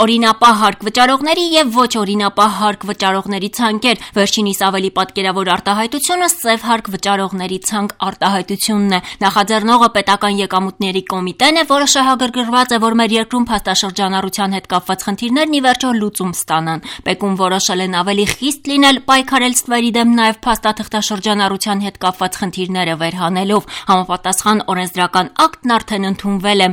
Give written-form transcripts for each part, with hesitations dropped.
օրինապահ հարկ վճարողների եւ ոչ օրինապահ հարկ վճարողների ցանկեր։ Վերջինիս ավելի պատկերավոր արտահայտությունը սև հարկ վճարողների ցանկ արտահայտությունն է։ Նախաձեռնողը պետական եկամուտների կոմիտեն է, որը շահագրգռված է, որ մեր երկրում փաստաշրջանառության հետ կապված խնդիրներն ի վերջո լուծում ստանան։ Պեկուն որոշել են ավելի խիստ լինել, պայքարել ստվերի դեմ նաեւ փաստաթղթաշրջանառության հետ կապված խնդիրները վերհանելով։ Համապատասխան օրենսդրական ակտն արդեն ընդունվել է։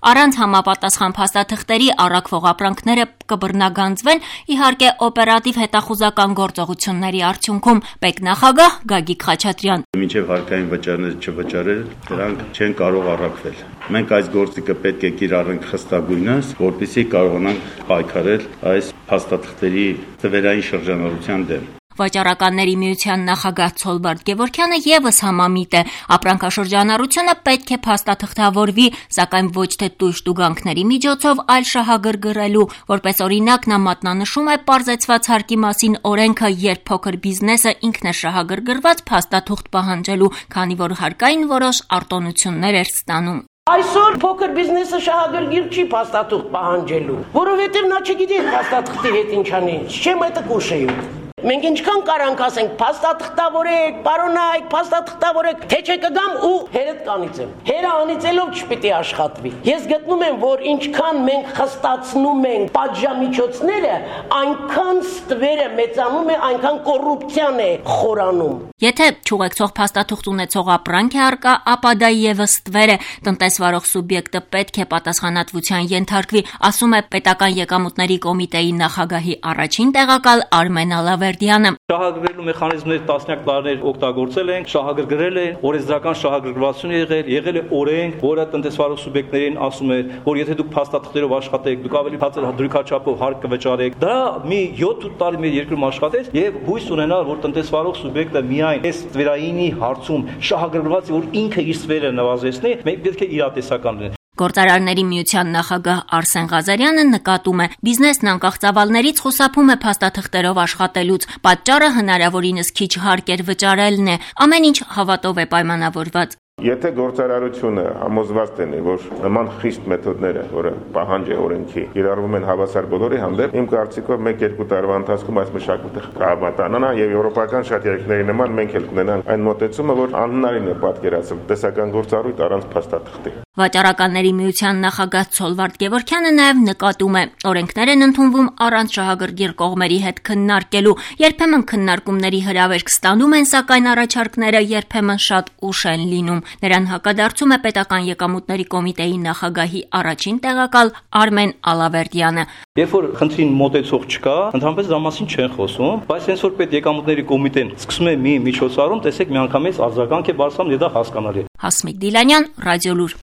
Առանց համապատասխան փաստաթղթերի առաքվող ապրանքները կբռնագանձվեն, իհարկե օպերատիվ հետախուզական գործողությունների արդյունքում։ Պետնախագահ Գագիկ Խաչատրյան. Մինչև հարկային վճարները չվճարել, դրանք չեն կարող առաքվել։ Մենք այս գործիքը պետք է կիրառենք խստագույնս, որպեսզի կարողանանք պայքարել այս փաստաթղթերի թվերային շրջանառության դեմ։ Վաճառականների միության նախագահ Ցոլբարդ Գևորգյանը եւս համամիտ է։ Ապրանքաշրջանառությունը պետք է փաստաթղթավորվի, սակայն ոչ թե տույժ տուգանքների միջոցով, այլ շահագրգռելու։ Որպես օրինակ նա մատնանշում է պարզեցված հարկի մասին օրենքը, երբ փոքր բիզնեսը ինքն է շահագրգռված փաստաթուղթ պահանջելու, քանի որ հարկային որոշ արտոնություններ էր ստանում։ Այսօր փոքր բիզնեսը շահագրգիռ չի փաստաթուղթ պահանջելու, որովհետև նա չգիտի փաստաթղթի հետ ինչ անի, չեմ այդ կուշեյու։ Մենք ինչքան կարանք ասենք, փաստաթղթավորեք, պարոնայք, փաստաթղթավորեք, թե չէ կգամ ու հերդ կանիծեմ։ Հերը անիծելով չպիտի աշխատվի։ Ես գտնում եմ, որ ինչքան մենք խստացնում ենք պատժամիջոցները, այնքան ստվերը մեծանում է, այնքան կոռուպցիան է խորանում։ Եթե չուղեկցող փաստաթուղթ ունեցող ապրանք է առկա, ապա դա եւս ստվեր է։ Տնտեսվարող սուբյեկտը պետք է պատասխանատվության ենթարկվի, ասում է պետական եկամուտների կոմիտեի նախագահի առաջին տեղակալ Արմեն Ալավերդյանը։ Շահագրգռելու մեխանիզմներ տասնյակ տարիներ օգտագործել ենք, շահագրգռել են, օրենսդրական շահագրգռվածություն եղել է օրենք, որը տնտեսվարող սուբյեկտներին ասում է, որ եթե դուք փաստաթղթերով աշխատեք, դուք ավելի բարձր դրույքաչափով հարկ կվճարեք։ Դա մի 7 տարի մեր երկրում աշխատեց եւ հույս ունենալ, որ տնտեսվարող սուբյեկտը միայն այս ստվերայինի հարցում շահագրգռված է, որ ինքը իր ստվերը նվազեցնի, մենք պետք է իրատեսական լինենք։ Գործարարների միության նախագահ Արսեն Ղազարյանը նկատում է, բիզնեսն անկախ ծավալներից խուսափում է փաստաթղթերով աշխատելուց, պատճառը հնարավորինս քիչ հարկ վճարելն է, ամեն ինչ հավատով է պայմանավորված։ Եթե գործարարությունը համոզված լինի, որ նման խիստ մեթոդները, որը պահանջ է օրենքի, կիրառվում են հավասար բոլորի հանդեպ, իմ կարծիքով 1-2 տարվա ընթացքում այս մշակույթը կհամատանա եւ եվրոպական շատ երկրների նման մենք էլ կունենանք այն մոտեցումը, որ անհնարին է պատկերացնել տեսական գործառույթ առանց փաստաթղթի։ Վաճառականների միության նախագահ Ցոլբարդ Գևորգյանը նաև նկատում է, օրենքներ են ընդունվում առանց շահագրգիռ կողմերի հետ քննարկելու, երբեմն քննարկումների հրավերք ստանում են, սակայն առաջարկները երբեմն շատ ուշ են լինում։ Նրան հակադարձում է պետական եկամուտների կոմիտեի նախագահի առաջին տեղակալ Արմեն Ալավերդյանը։ Երբ որ խնդրին մոտեցող չկա, ընդհանրապես դրա մասին չեն խոսում, բայց հենց որ պետեկամուտների կոմիտեն սկսում է մի միջոցառում, տեսեք միանգամից արձագանք է բարձրանում, եւ դա հասկանալի է։ Հասմիկ Դիլանյան, Ռադիոլուր։